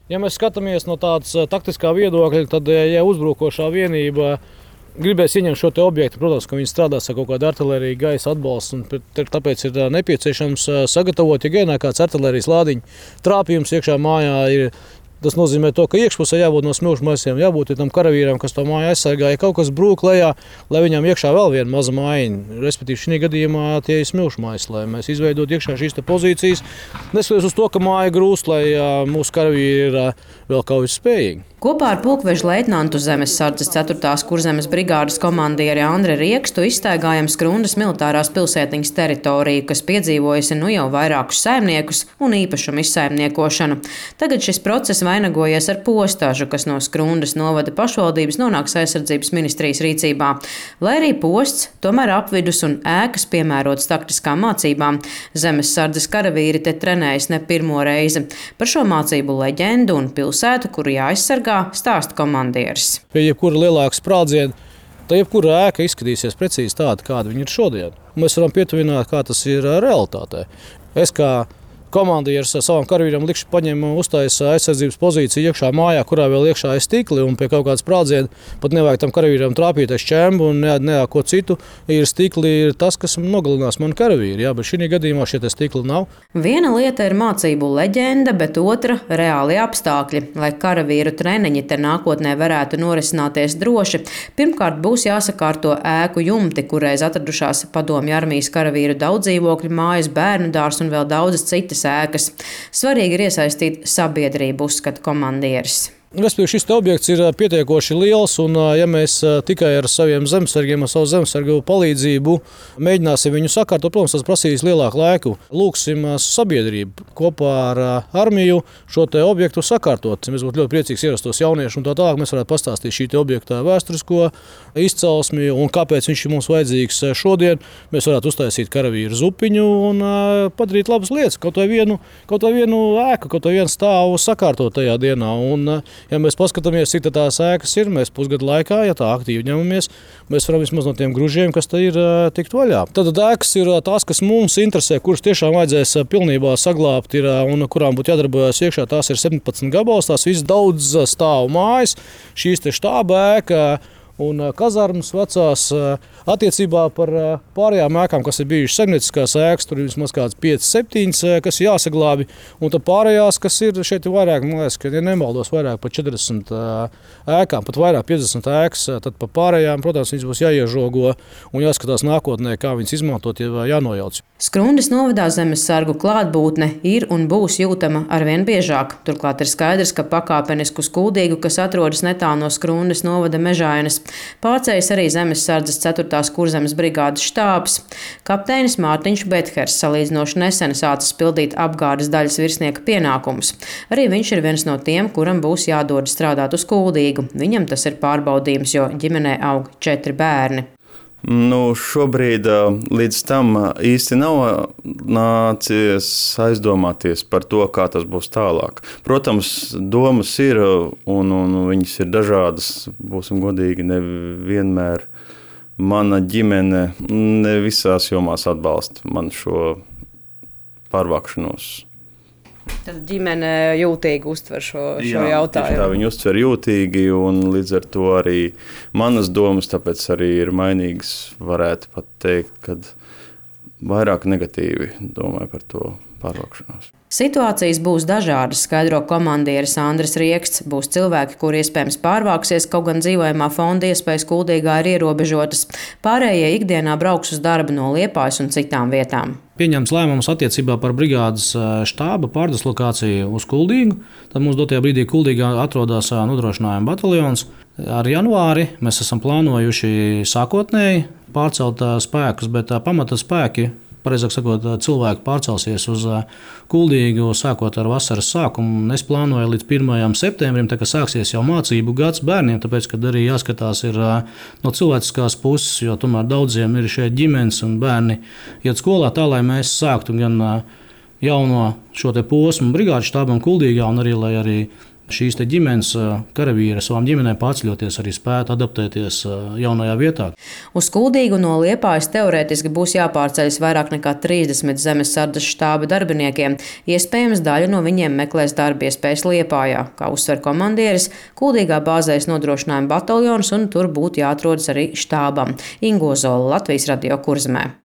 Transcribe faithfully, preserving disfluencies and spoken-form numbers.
Ja mēs skatāmies no tādas taktiskā viedokļa, tad, ja uzbrukošā vienība gribēs ieņemt šo objektu, protams, ka viņi strādās ar kaut kādu artilēriju, gaisa atbalstu, un tāpēc ir nepieciešams sagatavot, ja gainā kāds artilērijas lādiņa trāpījums iekšā mājā ir. Tas nozīmē, to, ka iekšpusē jābūt no smilšu maisiem, jābūt tam karavīram, kas to māju aizsargā. Ja kaut kas brūk lejā, lai viņam iekšā vēl viena maza mājiņa, respektīvi šī gadījumā tie ir smilšu maisi, lai mēs izveidot iekšā šīs pozīcijas. Neskatoties uz to, ka māja grūst, lai mūsu karavīri ir vēl kaut kas spējīgi. Kopā ar pulkveža leitnantu Zemessardzes ceturtās kurzemes brigādes komandieri Andri Riekstu izstaigājam Skrundas militārās pilsētiņas teritoriju, kas piedzīvojusi nu jau vairākus saimniekus un īpašumu izsaimniekošanu. Tagad šis process vainagojies ar postāžu, kas no Skrundas novada pašvaldības nonāks aizsardzības ministrijas rīcībā. Lai arī posts, tomēr apvidus un ēkas piemērotas taktiskām mācībām, Zemessardzes karavīri te trenējas ne pirmo reizi. Par šo mācību leģendu un pilsētu, kuru jāaizsargā, stāsta komandieris. Pie jebkura lielāka sprādziena, tad jebkura ēka izskatīsies precīzi tāda, kāda viņa ir šodien. Mēs varam pietuvināt, kā tas ir realitātē. Es kā komandieris savam karavīram likšu paņem uztaisa aizsardzības pozīciju iekšā mājā, kurā vēl iekšā ir stikli, un pie kaut kādas sprādziena pat nevajag tam karavīram trāpīt ar šķembu un ne, ne ko citu. Ir stikli ir tas, kas nogalinās mani karavīri, jā, bet šī gadījumā šie stikli nav. Viena lieta ir mācību leģenda, bet otra – reāli apstākļi. Lai karavīru treniņi te nākotnē varētu norisināties droši, pirmkārt būs jāsakārto ēku jumti, kurreiz atradušās Padomju armijas karavīru daudzdzīvokļu mājas, bērnu dārs un vēl daudzas citas ēkas. Svarīgi ir iesaistīt sabiedrību, uzskata komandieris. Respektīvi, šis objekts ir pietiekoši liels, un ja mēs tikai ar saviem zemesargiem, ar savu zemesargu palīdzību mēģināsim viņu sakārtot, protams, tas prasīs lielāku laiku. Lūksim sabiedrību kopā ar armiju šo te objektu sakārtot. Mēs būtu ļoti priecīgs ierastos jauniešu, un tā tālāk mēs varētu pastāstīt šī te objekta vēsturisko izcelsmi un kāpēc viņš ir mums vajadzīgs šodien. Mēs varētu uztaisīt karavīru zupiņu un padarīt labas lietas, kaut vai vienu, kaut vai vienu ēku, kaut vai vienu stāvu sakārtot tajā dienā. Un, ja mēs paskatāmies, cik tās ēkas ir, mēs pusgadu laikā, ja tā aktīvi ņemamies, mēs varam vismaz no tiem gružiem, kas te ir, tikt vaļā. Tad ēkas ir tās, kas mums interesē, kuras tiešām vajadzēs pilnībā saglābt ir, un kurām būtu jādarbojas iekšā. Tās ir septiņpadsmit gabals, tās visas daudz stāvu mājas, šīs te štāba ēka un kazarmas vecās. Attiecībā par pārējām ēkām, kas ir bijušas saimnieciskās ēkas, tur ir vismaz kāds pieci septiņi, kas ir jāsaglābi, un tad pārējās, kas ir šeit vairāk, man liekas, ka ja nemaldos vairāk par četrdesmit ēkām, pat vairāk piecdesmit ēkas, tad par pārējām, protams, viņas būs jāiežogo un jāskatās nākotnē, kā viņas izmantot, ja jānojauc. Skrundas novadā zemessargu klātbūtne ir un būs jūtama arvien biežāk. Turklāt ir skaidrs, ka pakāpenisku Skuldīgu, kas atrodas netālu no Skrundas novada Mežainas, pārceļas arī Zemessardzes ceturtās kurzemes brigādes štābs. Kapteinis Mārtiņš Bethers salīdzinoši nesen sācis pildīt apgādes daļas virsnieka pienākumus. Arī viņš ir viens no tiem, kuram būs jādod strādāt uz Skuldīgu. Viņam tas ir pārbaudījums, jo ģimenē aug četri bērni. Nu, šobrīd līdz tam īsti nav nācies aizdomāties par to, kā tas būs tālāk. Protams, domas ir un, un viņas ir dažādas. Būsim godīgi, nevienmēr mana ģimene ne visās jomās atbalsta man šo pārvākšanos. Tad ģimene jūtīgi uztver šo, šo Jā, jautājumu. Tā viņi uztver jūtīgi, un līdz ar to arī manas domas tāpēc arī ir mainīgas. Varētu pat teikt, kad vairāk negatīvi domāju par to pārvākšanos. Situācijas būs dažādas, skaidro komandieris Andris Rieksts. Būs cilvēki, kuri iespējams pārvāksies, kaut gan dzīvojamā fonda iespējas Kuldīgā ir ierobežotas. Pārējie ikdienā brauks uz darbu no Liepājas un citām vietām. Pieņemts lēmums attiecībā par brigādes štāba pārdislokāciju uz Kuldīgu. Tad mums dotajā brīdī Kuldīgā atrodas nodrošinājuma bataljons. Ar janvāri mēs esam plānojuši sākotnēji pārcelt spēkus, bet pamata spēki, pareizāk sakot, cilvēki pārcelsies uz Kuldīgu sākot ar vasaras sākumu. Es plānoju līdz pirmajam septembrim, tā kā sāksies jau mācību gads bērniem, tāpēc, kad arī jāskatās ir no cilvēciskās puses, jo tomēr daudziem ir šeit ģimenes un bērni iet skolā tā, lai mēs sāktu gan jauno šo te posmu brigādes štābam Kuldīgā un arī, lai arī šīs te ģimenes karavīri savām ģimenēm pārceļoties arī spētu adaptēties jaunajā vietā. Uz Kuldīgu no Liepājas teorētiski būs jāpārceļas vairāk nekā trīsdesmit zemesardzes štāba darbiniekiem. Iespējams, daļa no viņiem meklēs darba iespējas Liepājā. Kā uzsver komandieris, Kuldīgā bāzēs nodrošinājuma bataljons un tur būtu jāatrodas arī štābam. Ingo Zola, Latvijas radio Kurzemē.